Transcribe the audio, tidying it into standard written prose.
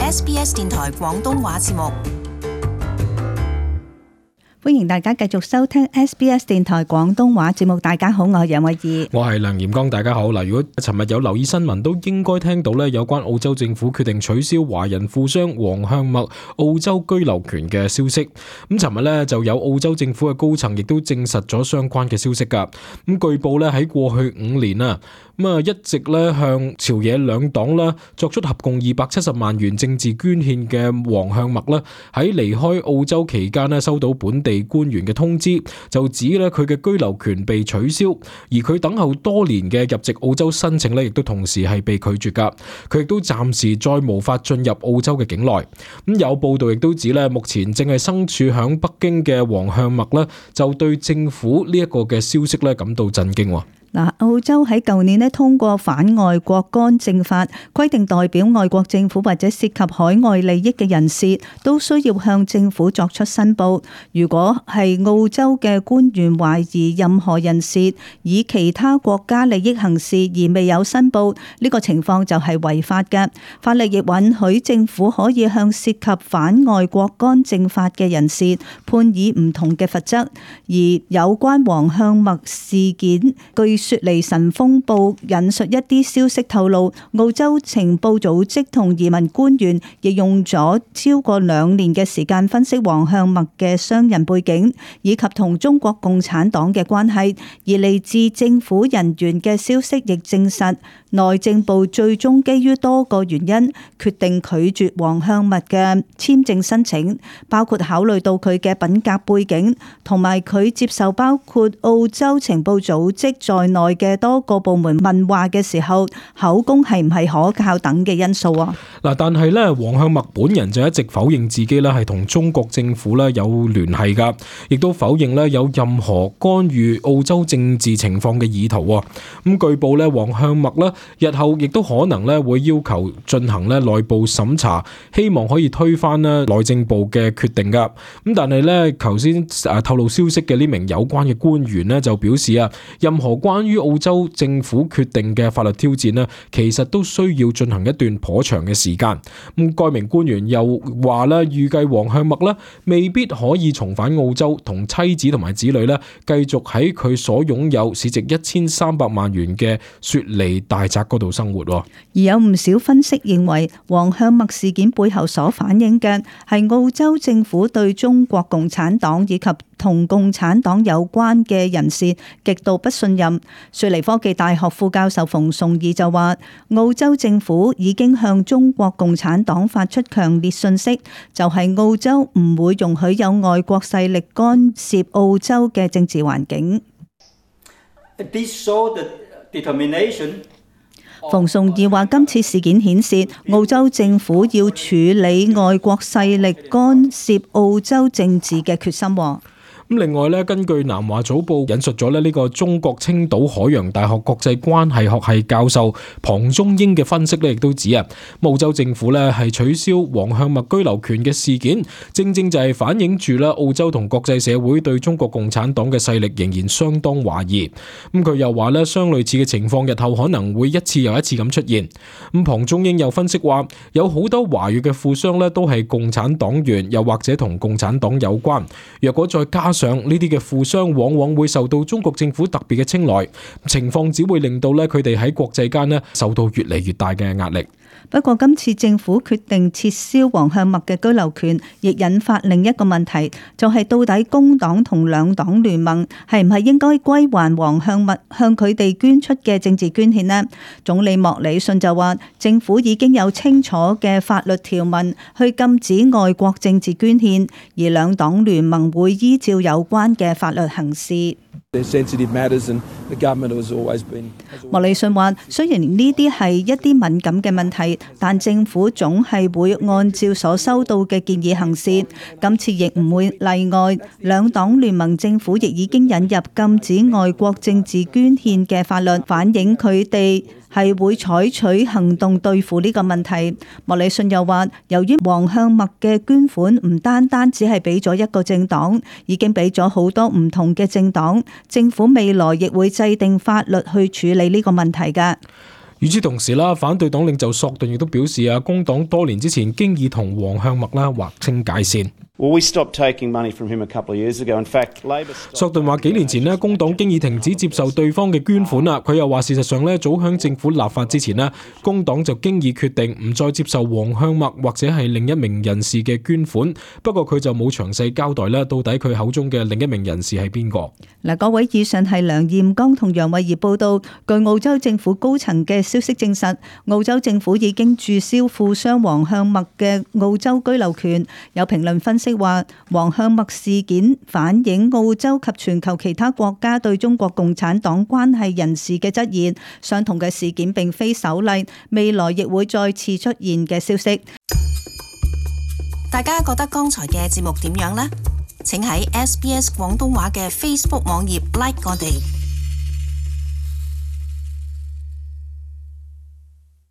SBS 電台廣東話節目。歡迎大家繼續收聽 SBS 電台廣東話節目。大家好，我係楊慧儀，我係梁炎光。大家好。嗱，如果尋日有留意新聞，都應該聽到咧有關澳洲政府決定取消華人富商黃向墨澳洲居留權嘅消息。咁尋日咧就有澳洲政府嘅高層亦都證實咗相關嘅消息噶。咁據報咧喺過去5年啊，一直咧向朝野兩黨啦作出合共270萬元政治捐獻嘅黃向墨咧，喺離開澳洲期間咧收到本地官員嘅通知，就指咧佢嘅居留權被取消，而佢等候多年嘅入籍澳洲申請咧，亦都同時係被拒絕噶。佢亦都暫時再無法進入澳洲嘅境內。咁有報道亦都指咧，目前正係身處響北京嘅黃向墨咧，就對政府呢一個嘅消息咧感到震驚。澳洲喺舊年通過反外國干政法，規定代表外國政府或者涉及海外利益嘅人士都需要向政府作出申報。如果係澳洲嘅官員懷疑任何人士以其他國家利益行事而未有申報，呢個情況就係違法嘅。法例亦允許政府可以向涉及反外國干政法嘅人士判以唔同嘅罰則。而有關黃向墨事件，據雪梨晨鋒報引述一啲消息透露，澳洲情報組織同移民官員亦用咗超過2年嘅時間分析黃向墨嘅商人背景以及同中國共產黨嘅關係，而嚟自政府人員嘅消息亦證實，內政部最終基於多個原因決定拒絕黃向墨嘅簽證申請，包括考慮到佢嘅品格背景同埋佢接受包括澳洲情報組織在內嘅多個部門問話嘅時候，口供係唔係可靠等嘅因素啊。但係咧，黃向墨本人就一直否認自己咧係同中國政府咧有聯繫噶，亦都否認咧有任何干預澳洲政治情況嘅意圖。咁據報咧，黃向墨咧日後亦都可能咧會要求進行咧內部審查，希望可以推翻咧內政部嘅決定噶。咁但係咧，頭先透露消息嘅呢名有關嘅官員咧就表示啊，任何關於澳洲政府決定嘅法律挑戰呢，其實都需要進行一段頗長嘅時間。咁該名官員又話咧，預計黃向墨咧未必可以重返澳洲，同妻子同埋子女咧繼續喺佢所擁有市值1300萬元嘅雪梨大宅嗰度生活。而有唔少分析認為，黃向墨事件背後所反映嘅係澳洲政府對中國共產黨以及同共產黨有關嘅人士極度不信任。雪梨科技大學副教授馮崇義就話，澳洲政府已經向中國共產黨發出強烈訊息，就係澳洲唔會容許有外國勢力干涉澳洲嘅政治環境。馮崇義話，今次事件顯示澳洲政府要處理外國勢力干涉澳洲政治嘅決心。咁另外咧，根據南華早報引述咗呢個中國青島海洋大學國際關係學系教授龐中英嘅分析咧，亦都指啊，澳洲政府咧係取消黃向墨居留權嘅事件，正正就係反映住啦澳洲同國際社會對中國共產黨嘅勢力仍然相當懷疑。咁佢又話咧，相類似嘅情況日後可能會一次又一次咁出現。咁龐中英又分析話，有好多華裔嘅富商咧都係共產黨員，又或者同共產黨有關。若果再加上呢啲嘅富商往往會受到中國政府特別嘅青睞，情況只會令到咧佢哋喺國際間咧受到越嚟越大嘅壓力。不過今次政府決定撤銷黃向墨嘅居留權，亦引發另一個問題，就係到底工黨同兩黨聯盟係唔係應該歸還黃向墨向佢哋捐出嘅政治捐獻呢？總理莫里遜就話，政府已經有清楚嘅法律條文去禁止外國政治捐獻，而兩黨聯盟會依照有關嘅法律行事。莫里遜話，雖然呢啲係一啲敏感嘅問題，但政府總係會按照所收到嘅建議行事。今次亦唔會例外，兩黨聯盟政府亦已經引入禁止外國政治捐獻嘅法律，反映佢哋係會採取行動對付呢個問題。莫里遜又話，由於黃向墨嘅捐款唔單單只係俾咗一個政黨，已經俾咗好多唔同嘅政黨，政府未來亦會制定法律去處理呢個問題㗎。與此同時啦，反對黨領袖索頓亦都表示啊，工黨多年之前經已同黃向默啦劃清界線。索頓話幾年前呢，工黨經已停止接受對方嘅捐款啦。佢又話事實上呢，早響政府立法之前呢，工黨就經已決定唔再接受黃向默或者係另一名人士嘅捐款。不過佢就冇詳細交代啦，到底佢口中嘅另一名人士係邊個？嗱，各位，以上係梁彥剛同楊慧儀報道。據澳洲政府高層嘅消息證實，澳洲政府已經註銷富商黃向默嘅澳洲居留權。有評論分析話，黃向默事件反映澳洲及全球其他國家對中國共產黨關係人士嘅質疑。相同嘅事件並非首例，未來亦會再次出現嘅消息。大家覺得剛才嘅節目點樣呢？請喺SBS 廣東話嘅 Facebook 網頁 like 我哋。